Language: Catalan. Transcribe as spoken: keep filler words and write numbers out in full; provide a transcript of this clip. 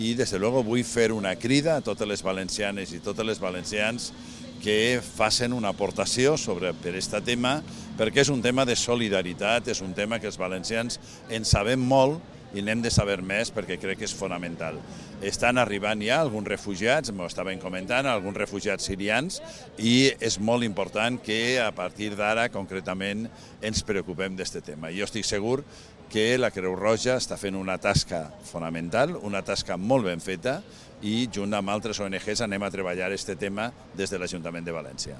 I, des de luego, vull fer una crida a totes les valencianes i totes les valencians que facin una aportació sobre, per aquest tema, perquè és un tema de solidaritat, és un tema que els valencians en sabem molt i n'hem de saber més perquè crec que és fonamental. Estan arribant ja alguns refugiats, m'ho estaven comentant, alguns refugiats sirians, i és molt important que a partir d'ara, concretament, ens preocupem d'aquest tema. Jo estic segur que la Creu Roja està fent una tasca fonamental, una tasca molt ben feta, i junt amb altres O N Ges anem a treballar aquest tema des de l'Ajuntament de València.